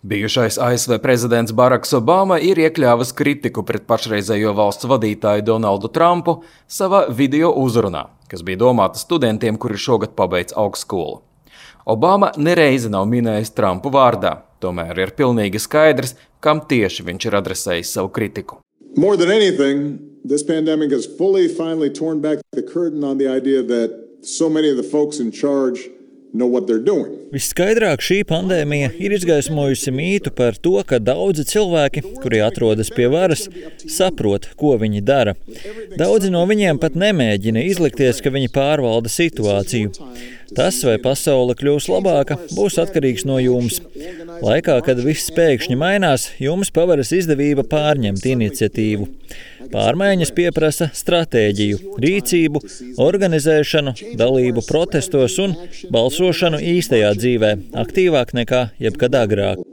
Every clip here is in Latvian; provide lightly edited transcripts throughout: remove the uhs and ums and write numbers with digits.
Bijušais ASV prezidents Baraks Obama ir iekļāvis kritiku pret pašreizējo valsts vadītāju Donaldu Trumpu savā video uzrunā, kas bija domāta studentiem, kuri šogad pabeidz augstskolu. Obama nereizi nav minējis Trumpu vārdā, tomēr ir pilnīgi skaidrs, kam tieši viņš ir adresējis savu kritiku. More than anything, this pandemic has finally torn back the curtain on the idea that so many of the folks in charge know what they're doing. Visskaidrāk šī pandēmija ir izgaismojusi mītu par to, ka daudzi cilvēki, kuri atrodas pie varas, saprot, ko viņi dara. Daudzi no viņiem pat nemēģina izlikties, ka viņi pārvalda situāciju. Tas, vai pasaule kļūs labāka, būs atkarīgs no jums. Laikā, kad viss pēkšņi mainās, jums paveras izdevība pārņemt iniciatīvu. Pārmaiņas pieprasa stratēģiju, rīcību, organizēšanu, dalību protestos un balsošanu īstajā dzīvē, aktīvāk nekā jebkad agrāk.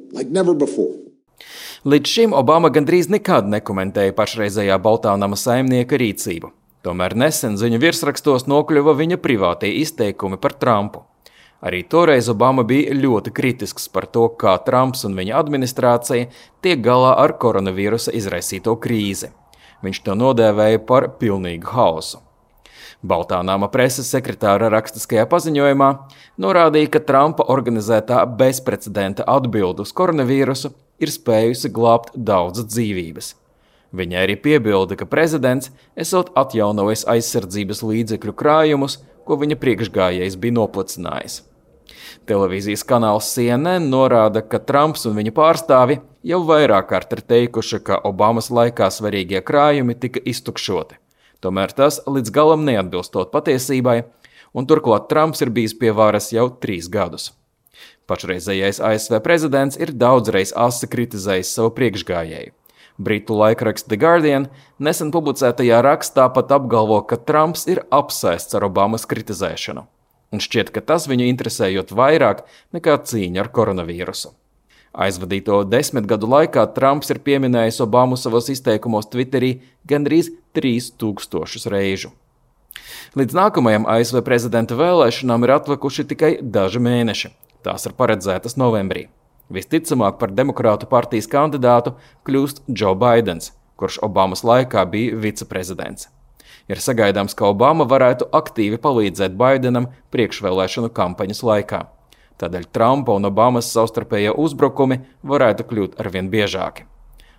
Līdz šim Obama gandrīz nekad nekomentēja pašreizējā Baltā nama saimnieka rīcību. Tomēr nesen ziņu virsrakstos nokļuva viņa privātie izteikumi par Trumpu. Arī toreiz Obama bija ļoti kritisks par to, kā Trumps un viņa administrācija tiek galā ar koronavīrusa izraisīto krīzi. Viņš to nodēvēja par pilnīgu haosu. Baltā nama preses sekretāra rakstiskajā paziņojumā norādīja, ka Trumpa organizētā bezprecedenta atbilde uz koronavīrusu ir spējusi glābt daudzas dzīvības. Viņai arī piebilda, ka prezidents esot atjaunojis aizsardzības līdzekļu krājumus, ko viņa priekšgājējs bija noplicinājis. Televīzijas kanāls CNN norāda, ka Trumps un viņa pārstāvi jau vairāk kārt ir teikuši, ka Obamas laikā svarīgie krājumi tika iztukšoti. Tomēr tas līdz galam neatbilstot patiesībai, un turklāt Trumps ir bijis pie varas jau 3 gadus. Pašreizējais ASV prezidents ir daudzreiz asi kritizējis savu priekšgājēju. Britu laikraksts The Guardian nesen publicētajā rakstā pat apgalvo, ka Trumps ir apsēsts ar Obamas kritizēšanu. Un šķiet, ka tas viņu interesējot vairāk nekā cīņa ar koronavīrusu. Aizvadīto 10 gadu laikā Trumps ir pieminējis Obamu savos izteikumos Twitterī gandrīz 3000 reižu. Līdz nākamajam ASV prezidenta vēlēšanām ir atlikuši tikai daži mēneši. Tās ir paredzētas novembrī. Visticamāk par demokrātu partijas kandidātu kļūst Joe Baidens, kurš Obamas laikā bija viceprezidents. Ir sagaidāms, ka Obama varētu aktīvi palīdzēt Baidenam priekšvēlēšanu kampaņas laikā. Tādēļ Trumpa un Obamas savstarpējie uzbrukumi varētu kļūt arvien biežāki.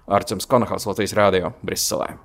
Arčuns Konahals, Latvijas radio, Briselē.